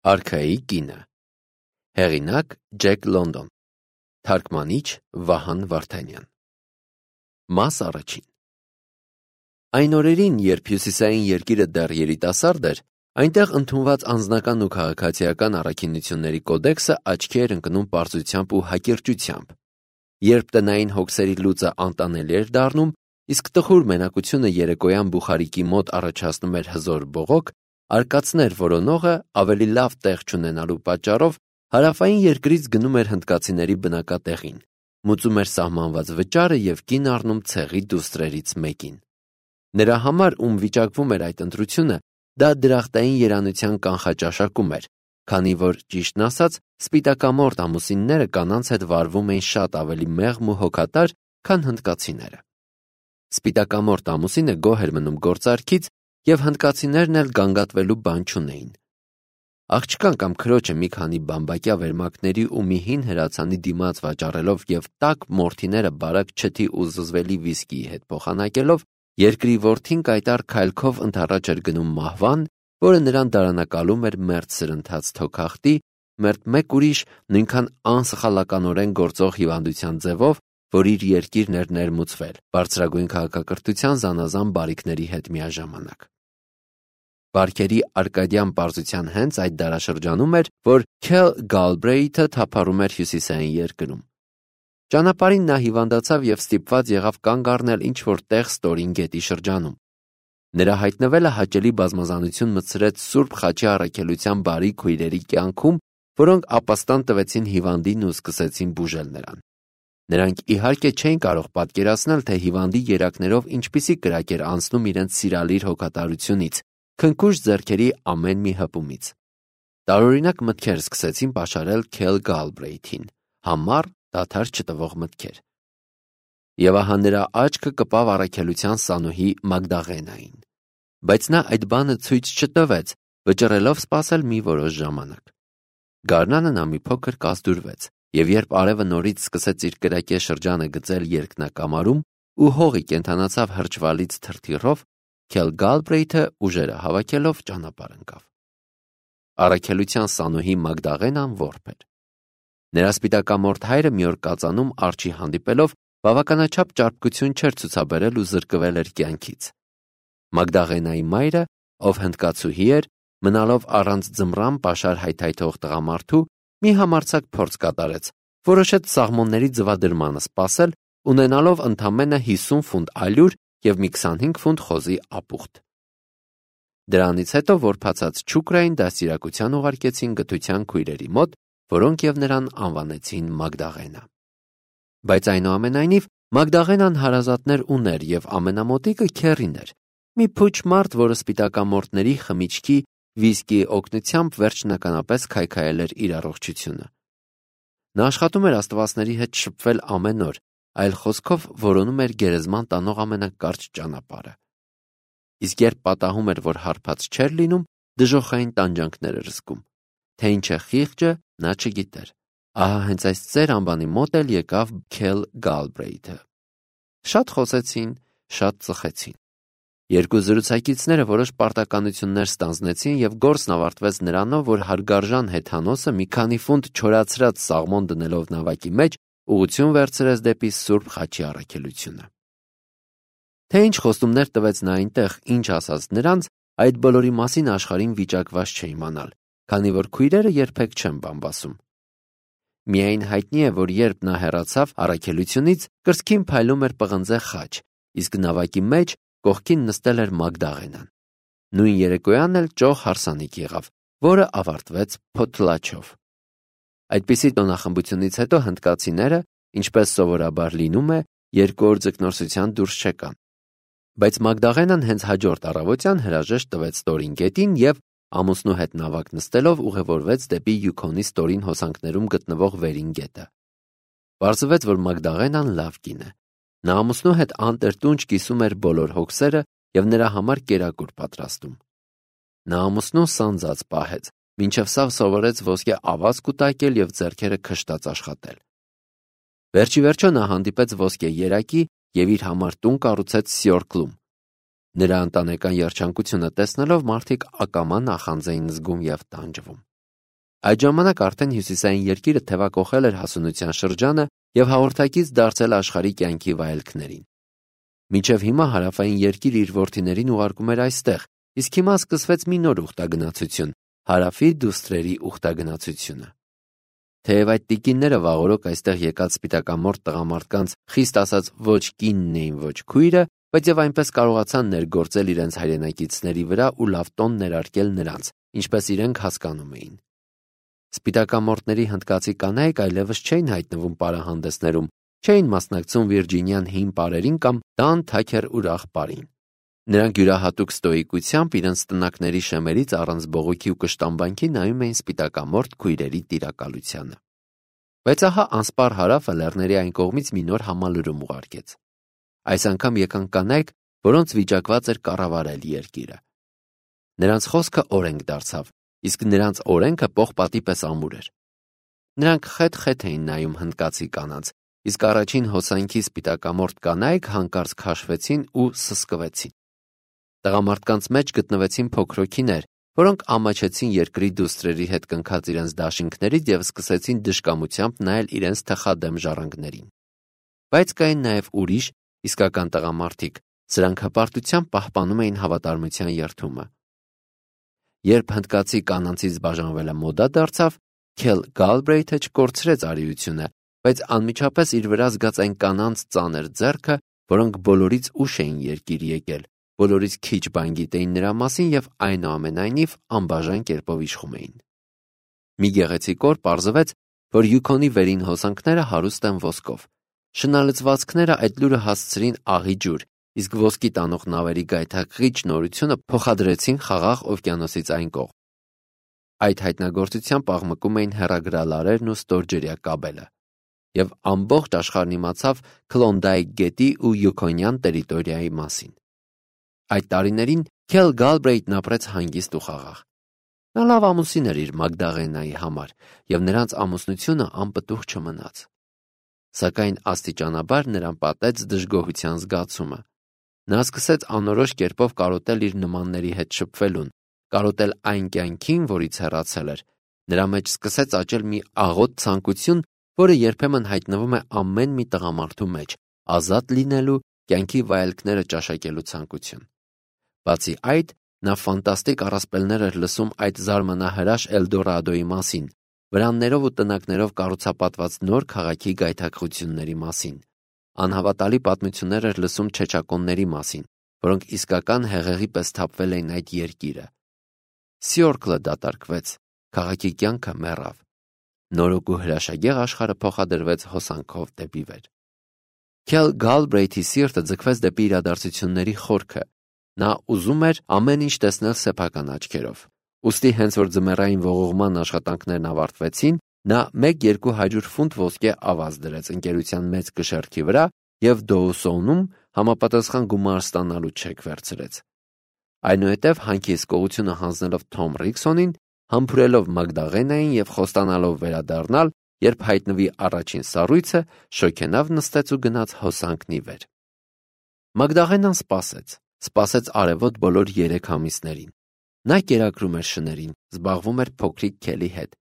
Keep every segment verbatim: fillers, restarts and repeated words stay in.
Արքայի կինը։ Հեղինակ Ջեք Լոնդոն։ Թարգմանիչ Վահան Վարդանյան։ Մաս առաջին։ Այն օրերին, երբ հյուսիսային երկիրը դեռ երիտասարդ էր, այնտեղ ընդունված անձնական ու քաղաքացիական առաքինությունների կոդեքսը աչքի էր ընկնում պարզությամբ ու հակիրճությամբ։ Երբ տնային հոգսերի լուծը անտանելի էր դառնում, իսկ տխուր մենակությունը երեկոյան բուխարիկի մոտ առաջացնում էր հզոր բողոք, արկածներ որոնողը ավելի լավ տեղ չունենալու պատճառով հարավային երկրից գնում էր հնդկացիների բնակատեղին, մուծում էր սահմանված վճարը և կին առնում ցեղի դուստրերից մեկին։ Նրա համար, ում վիճակվում էր այդ ընտրությունը, դա դրախտային երանության կանխաճաշակում էր, քանի որ, ճիշտն ասած, սպիտակամորթ ամուսինները կանանց հետ վարվում էին շատ ավելի մեղմ ու հոգատար, քան հնդկացիները։ Սպիտակամորթ ամուսինը գոհ էր մնում գործարքից, և հնդկացիներն էլ գանգատվելու բան չունեին։ Աղջկան կամ քրոջը մի քանի բամբակյա վերմակների ու մի հին հրացանի դիմաց վաճառելով և տաք մորթիները բարակ չթի ու զզվելի վիսկիի հետ փոխանակելով, երկրի որդին կայտառ քայլքով ընդառաջ էր գնում մահվան, որը նրան դարանակալում էր մերթ սրընթաց թոքախտի, մերթ մեկ ուրիշ նույնքան անսխալականորեն գործող հիվանդության ձևով, որ իր երկիրն էր ներմուծվել, բարձրագույն քաղաքակրթության զանազան բարիքների հետ միաժամանակ։ Բարքերի արկադյան պարզության հենց այդ դարաշրջանում էր, որ Քել Գալբրեյթը թափառում էր հյուսիսային երկրում։ Ճանապարհին նա հիվանդացավ և ստիպված եղավ կանգ առնել ինչ-որ տեղ Ստորին գետի շրջանում։ Նրա հայտնվելը հաճելի բազմազանություն մտցրեց Սուրբ Խաչի առաքելության բարի քույրերի կյանքում, որոնք ապաստան տվեցին հիվանդին ու սկսեցին բուժել նրան։ Նրանք իհարկե չէին կարող պատկերացնել, թե հիվանդի երակներով ինչպիսի կրակ էր անցնում իրենց սիրալիր հոգատարությունից, քնքուշ ձեռքերի ամեն մի հպումից։ Տարօրինակ մտքեր սկսեցին պաշարել Քել Գալբրեյթին, համառ, դադար չտվող մտքեր։ Եվ ահա նրա աչքը կպավ առաքելության սանուհի Մագդաղենային։ Բայց նա այդ բանը ցույց չտվեց, վճռելով սպասել մի որոշ ժամանակ։ Գարնանը նա մի փոքր կազդուրվեց, և երբ արևը նորից սկսեց իր կրակե շրջանը գծել երկնակամարում ու հողի կենդանացավ հրճվալից թրթիռով, Քել Գալբրեյթը ուժերը հավաքելով ճանապարհ ընկավ։ Առաքելության սանուհի Մագդաղենան որբ էր։ Նրա սպիտակամորթ հայրը մի օր կածանում արջի հանդիպելով բավականաչափ ճարպկություն չէր ցուցաբերել ու զրկվել էր կյանքից։ Մագդաղենայի մայրը, ով հնդկացուհի էր, մնալով առանց ձմռան պաշար հայթայթող տղամարդու, մի համարձակ փորձ կատարեց, որոշեց սաղմոնների ձվադրմանը սպասել, ունենալով ընդամենը հիսուն ֆունտ ալյուր և մի քսանհինգ ֆունտ խոզի ապուխտ։ Դրանից հետո որբացած չուկրային դաստիարակության ուղարկեցին գթության քույրերի մոտ, որոնք և նրան անվանեցին Մագդաղենա։ Բայց այնուամենայնիվ Մագդաղենան հարազատներ ուներ և ամենամոտիկը քեռին էր, մի փուչ մարդ, որը սպիտակամորթների խմիչքի վիսկիի օգնությամբ վերջնականապես քայքայել էր իր առողջությունը։ Նա աշխատում էր աստվածների հետ շփվել ամեն օր, այլ խոսքով որոնում էր գերեզման տանող ամենակարճ ճանապարհը։ Իսկ երբ պատահում էր, որ հարբած չէր լինում, դժոխային տանջանքներ էր զգում։ Թե ինչ է խիղճը, նա չգիտեր։ Ահա հենց այս ծեր անվանի մոտ էլ եկավ Քել Գալբրեյթը։ Շատ խոսեցին, շատ ծխեցին։ Երկու զրուցակիցները որոշ պարտականություններ ստանձնեցին և գործն ավարտվեց նրանով, որ հարգարժան հեթանոսը մի քանի ֆունտ չորացրած սաղմոն դնելով նավակի մեջ ուղղություն վերցրեց դեպի Սուրբ Խաչի առաքելությունը։ Թե ինչ խոստումներ տվեց նա այնտեղ, ինչ ասաց նրանց, այդ բոլորի մասին աշխարհին վիճակված չէ իմանալ, քանի որ քույրերը երբեք չեն բամբասում։ Միայն հայտնի է, որ երբ նա հեռացավ առաքելությունից, կրծքին փայլում էր պղնձե խաչ, իսկ նավակի մեջ կողքին նստել էր Մագդաղենան։ Նույն երեկոյան էլ ճոխ հարսանիք եղավ, որը ավարտվեց փոթլաչով։ Այդպիսի տոնախմբությունից հետո հնդկացիները, ինչպես սովորաբար լինում է, երկու օր ձկնորսության դուրս չեկան։ Բայց Մագդաղենան հենց հաջորդ առավոտյան հրաժեշտ տվեց Ստորին գետին և, ամուսնու հետ նավակ նստելով, ուղևորվեց դեպի Յուքոնի ստորին հոսանքներում գտնվող Վերին գետը։ Պարզվեց, որ Մագդաղենան լավ կին է։ Նա ամուսնու հետ անտերտունջ կիսում էր բոլոր հոգսերը և նրա համար կերակուր պատրաստում։ Նա ամուսնուն սանձած պահեց, մինչև սավ սովորեց ոսկե ավազ կուտակել և ձեռքերը քշտած աշխատել։ Վերջիվերջո նա հանդիպեց ոսկե երակի և իր համար տուն կառուցեց Սյորքլում։ Նրա ընտանեկան երջանկությունը տեսնելով մարդիկ ակամա նախանձ էին զգում և տանջվում։ Այդ ժամանակ արդեն հյուսիսային երկիրը թևակողել էր հասունության շրջանը և հաղորդակից դարձել աշխարհի կյանքի վայելքներին։ Մինչև հիմա հարավային երկիրը իր որդիներին ուղարկում էր այստեղ, իսկ հիմա սկսվեց մի նոր ուխտագնացություն՝ հարավի դուստրերի ուխտագնացությունը։ Թեև այդ տիկինները վաղօրոք այստեղ եկած սպիտակամորթ տղամարդկանց խիստ ասած ոչ կինն էին, ոչ քույրը, բայց եւ այնպես կարողացան ներգործել իրենց հայրենակիցների վրա ու լավ տոն ներարկել նրանց, ինչպես իրենք հասկանում էին։ Սպիտակամորթների հնդկացի կանայք այլևս չէին հայտնվում պարահանդեսներում, չէին մասնակցում Վիրջինիան հին պարերին կամ տան թաքեր ուրախ պարին։ Նրանք յուրահատուկ ստոիկությամբ իրենց տնակների շեմերից առանց բողոքի ու կշտամբանքի նայում էին սպիտակամորթ քույրերի տիրակալությանը։ Բայց ահա անսպառ հարավը լեռների այն կողմից մի նոր համալրում ուղարկեց։ Այս անգամ եկան կանայք, որոնց վիճակված էր կառավարել երկիրը։ Նրանց խոսքը օրենք դարձավ, իսկ նրանց օրենքը պողպատի պես ամուր էր։ Նրանք խեթ-խեթ էին նայում հնդկացի կանանց, իսկ առաջին հոսանքի սպիտակամորթ կանայք հանկարծ քաշվեցին ու սսկվեցին։ Տղամարդկանց մեջ գտնվեցին փոքրոքիներ, որոնք ամաչեցին երկրի դուստրերի հետ կնքած իրենց դաշինքներից և սկսեցին դժկամությամբ նայել իրենց թխադեմ ժառանգներին։ Բայց կային նաև ուրիշ, իսկական տղամարդիկ, սրանք հպարտությամբ պահպանում էին հավատարմության երդումը։ Երբ հնդկացի կանանցից բաժանվելը մոդա դարձավ, Քել Գալբրեյթը չկորցրեց արիությունը, բայց անմիջապես իր վրա զգաց այն կանանց ծանր ձեռքը, որոնք բոլորից ուշ էին երկիր եկել, բոլորից քիչ բան գիտեին նրա մասին և այնուամենայնիվ անբաժան կերպով իշխում էին։ Մի գեղեցիկ օր պարզվեց, որ Յուքոնի վերին հոսանքները հարուստ են ոսկով։ Շնալցվածքները այդ լուրը հասցրին աղի ջուր, իսկ ոսկի տանող նավերի գայթակղիչ նորությունը փոխադրեցին խաղաղ օվկիանոսից այն կողմ։ Այդ հայտնագործությամբ աղմկում էին հեռագրալարերն ու ստորջրյա կաբելը, և ամբողջ աշխարհն իմացավ Քլոնդայք գետի ու Յուքոնյան տերիտորիայի մասին։ Այդ տարիներին Քել Գալբրեյթն ապրեց հանգիստ ու խաղաղ։ Նա լավ ամուսին էր իր Մագդաղենայի համար, և նրանց ամուսնությունը անպտուղ չմնաց։ Սակայն աստիճանաբար նրան պատեց դժգոհության զգացումը։ Նա սկսեց անորոշ կերպով կարոտել իր նմանների հետ շփվելուն, կարոտել այն կյանքին, որից հեռացել էր։ Նրա մեջ սկսեց աճել մի աղոտ ցանկություն, որը երբեմն հայտնվում է ամեն մի տղամարդու մեջ՝ ազատ լինելու, կյանքի վայելքները ճաշակելու ցանկություն։ Բացի այդ, նա ֆանտաստիկ առասպելներ էր լսում այդ զարմանահրաշ Էլդորադոյի մասին, վրաններով ու տնակներով կառուցապատված նոր քաղաքի գայթակղությունների մասին։ Անհավատալի պատմություններ էր լսում չեչակոնների մասին, որոնք իսկական հեղեղի պես թափվել էին այդ երկիրը։ Սյորքլը դատարկվեց, քաղաքի կյանքը մեռավ։ Նորոգ ու հրաշագեղ աշխարհը փոխադրվեց հոսանքով դեպի վեր։ Քել Գալբրեյթի սիրտը ձգվեց դեպի իրադարձությունների խորքը։ Նա ուզում էր ամեն ինչ տեսնել սեփական աչքերով։ Ուստի հենց որ ձմեռային ողողման աշխատանքներն ավարտվեցին, նա մեկ-երկու հարյուր ֆունտ ոսկե ավազ դրեց ընկերության մեծ կշեռքի վրա և Դոուսոնում համապատասխան գումար ստանալու չեք վերցրեց։ Այնուհետև հանգիստ գողությունը հանձնելով Թոմ Ռիքսոնին, համբուրելով Մագդաղենային և խոստանալով վերադառնալ, երբ հայտնվի առաջին սառույցը, շոգենավ նստեց ու գնաց հոսանքն ի վեր։ Մագդաղենան սպասեց, սպասեց արևոտ բոլոր երեք ամիսներին։ Նա կերակրում էր շներին, զբաղվում էր փոքրիկ Քելի հետ։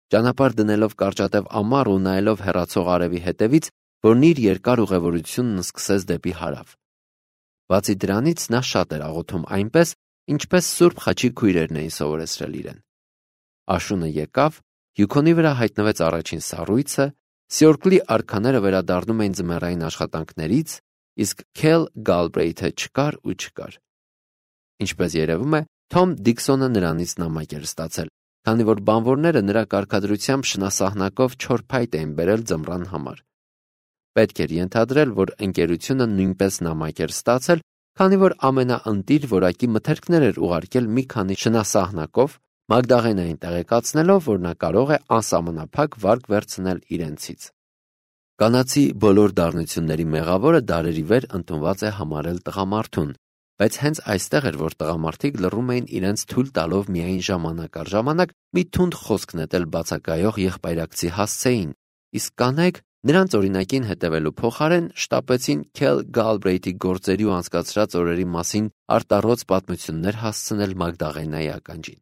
Ճանապարհ դնելով կարճատև ամառ ու նայելով հեռացող արևի հետևից, որն իր երկար ուղևորությունն սկսեց դեպի հարավ։ Բացի դրանից նա շատ էր աղոթում այնպես, ինչպես Սուրբ Խաչի քույրերն էին սովորեցրել իրեն։ Աշունը եկավ, Յուքոնի վրա հայտնվեց առաջին սառույցը, Սյորքլի արքաները վերադառնում էին ձմեռային աշխատանքներից, իսկ Քել Գալբրեյթը չկար ու չկար։ Ինչպես երևում է, Թոմ Դիքսոնը նրանից նամակ էր ստացել, քանի որ բանվորները նրա կարգադրությամբ շնասահնակով չոր փայտ էին բերել ձմռան համար։ Պետք էր ենթադրել, որ ընկերությունը նույնպես նամակ էր ստացել, քանի որ ամենաընտիր որակի մթերքներ էր ուղարկել մի քանի շնասահնակով, Մագդաղենային տեղեկացնելով, որ նա կարող է անսահմանափակ վարկ վերցնել իրենցից։ Կանացի բոլոր դառնությունների մեղավորը դարերի վեր ընդունված է համարել տղամարդուն, բայց հենց այստեղ էր, որ տղամարդիկ լռում էին իրենց թույլ տալով միայն ժամանակ առ ժամանակ մի թունդ խոսք նետել բացակայող եղբայրակցի հասցեին, իսկ կանայք նրանց օրինակին հետևելու փոխարեն շտապեցին Քել Գալբրեյթի գործերի ու անցկացրած օրերի մասին արտառոց պատմություններ հասցնել Մագդաղենայի ականջին։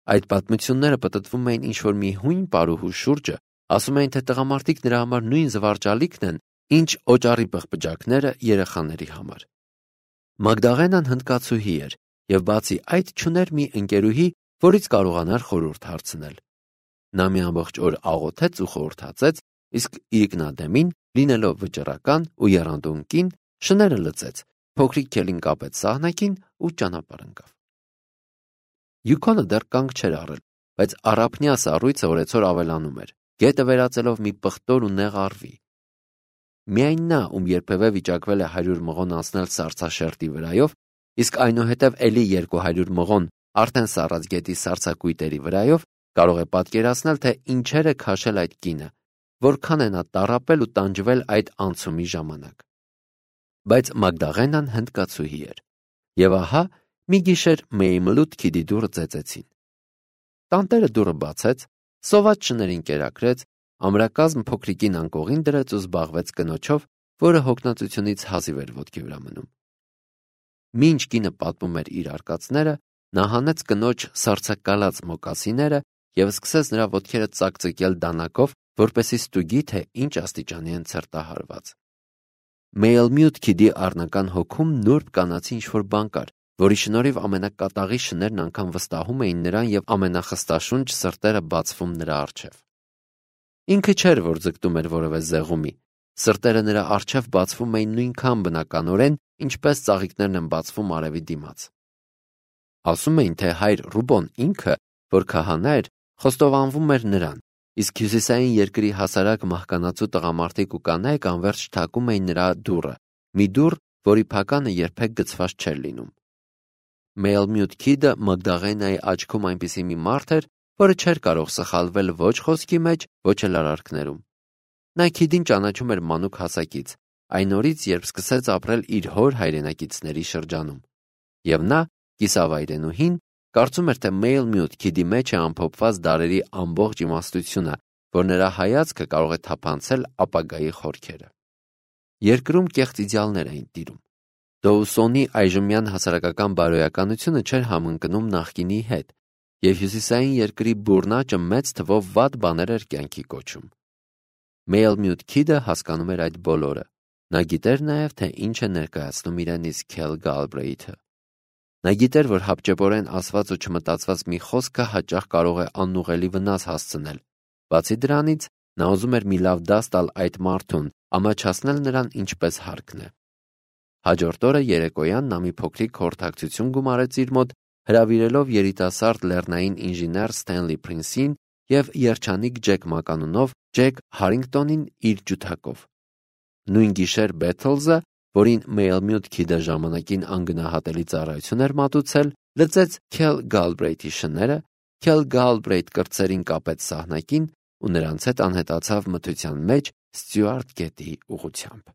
Այդ պատմությունները պտտվում էին ինչ-որ մի հույն պարուհու շուրջը, ասում էին, թե տղամարդիկ նրա համար նույն զվարճալիքն են, ինչ օճառի պղպջակները երեխաների համար։ Մագդաղենան հնդկացուհի էր և բացի այդ չուներ մի ընկերուհի, որից կարողանար խորհուրդ հարցնել։ Նա մի ամբողջ օր աղոթեց ու խորհրդացեց, իսկ իրիկնադեմին, լինելով վճռական ու եռանդուն կին, շները լծեց, փոքրիկ քելին կապեց սահնակին ու ճանապարհ ընկավ։ Յուքոնը դեռ կանգ չէր առել, բայց առափնյա սառույցը օրեցօր ավելանում էր, գետը վերածելով մի պղտոր ու նեղ առվի։ Միայն նա, ում երբևէ վիճակվել է հարյուր մղոն անցնել սառցաշերտի վրայով, իսկ այնուհետև էլի երկու հարյուր մղոն արդեն սառած գետի սառցակույտերի վրայով, կարող է պատկերացնել, թե ինչեր է քաշել այդ կինը, որքան է նա տառապել ու տանջվել այդ անցումի ժամանակ։ Բայց Մագդաղենան հնդկացուհի էր, և ահա մի գիշեր Մեյմլութ քիդի դուռը ծեծեցին։ Տանտերը դուռը բացեց, սոված շներին կերակրեց, ամրակազմ փոքրիկին անկողին դրեց ու զբաղվեց կնոջով, որը հոգնածությունից հազիվ էր ոտքի վրա մնում։ Մինչ կինը պատմում էր իր արկածները, նա հանեց կնոջ սառցակալած մոկասիները և սկսեց նրա ոտքերը ծակծկել դանակով, որպեսզի ստուգի, թե ինչ աստիճանի են ցրտահարված։ Մեյլմութ քիդի առնական հոգում նուրբ կանացի ինչ-որ բան կար, որի շնորհիվ ամենակատաղի շներն անգամ վստահում էին նրան և ամենախստաշունչ սրտերը բացվում նրա առջև։ Ինքը չէր, որ ձգտում էր որևէ զեղումի, սրտերը նրա առջև բացվում էին նույնքան բնականորեն, ինչպես ծաղիկներն են բացվում արևի դիմաց։ Ասում էին, թե հայր Ռուբոն ինքը, որ քահանա էր, խոստովանվում էր նրան, իսկ հյուսիսային երկրի հասարակ մահկանացու տղամարդիկ ու կանայք անվերջ թակում էին նրա դուռը, մի դուռ, որի փականը երբեք գցված չէր լինում։ Մեյլմութ քիդը Մագդաղենայի աչքում այնպիսի մի մարդ էր, որը չէր կարող սխալվել ոչ խոսքի մեջ, ոչ էլ արարքներում։ Նա քիդին ճանաչում էր մանուկ հասակից, այն օրից, երբ սկսեց ապրել իր հոր հայրենակիցների շրջանում։ Եվ նա, կիսավայրենուհին, կարծում էր, թե Մեյլմութ քիդի մեջ է ամփոփված դարերի ամբողջ իմաստությունը, որ նրա հայացքը կարող է թափանցել ապագայի խորքերը։ Երկրում կեղծ իդեալներ էին տիրում։ Դոուսոնի այժմյան հասարակական բարոյականությունը չէր համընկնում նախկինի հետ, և հյուսիսային երկրի բուրնաճը մեծ թվով վատ բաներ էր կյանքի կոչում։ Մեյլմութ քիդը հասկանում էր այդ բոլորը։ Նա գիտեր նաև, թե ինչ է ներկայացնում իրենից Քել Գալբրեյթը։ Նա գիտեր, որ հապճեպորեն ասված ու չմտածված մի խոսքը հաճախ կարող է անուղղելի վնաս հասցնել։ Բացի դրանից, նա ուզում էր մի լավ դաս տալ այդ մարդուն, ամաչացնել նրան ինչպես հարկն է։ Հաջորդ օրը երեկոյան նա մի փոքրիկ խորհրդակցություն գումարեց իր մոտ, հրավիրելով երիտասարդ լեռնային ինժեներ Սթենլի Փրինսին և երջանիկ Ջեք Մականունով Ջեք Հարինգտոնին իր ջութակով։ Նույն գիշեր Բեթլզը, որին Մեյլմութ քիդը ժամանակին անգնահատելի ծառայություն էր մատուցել, լծեց Քել Գալբրեյթի շները, Քել Գալբրեյթ կրտսերին կապեց սահնակին ու նրանց հետ անհետացավ մթության մեջ Ստյուարտ գետի ուղղությամբ։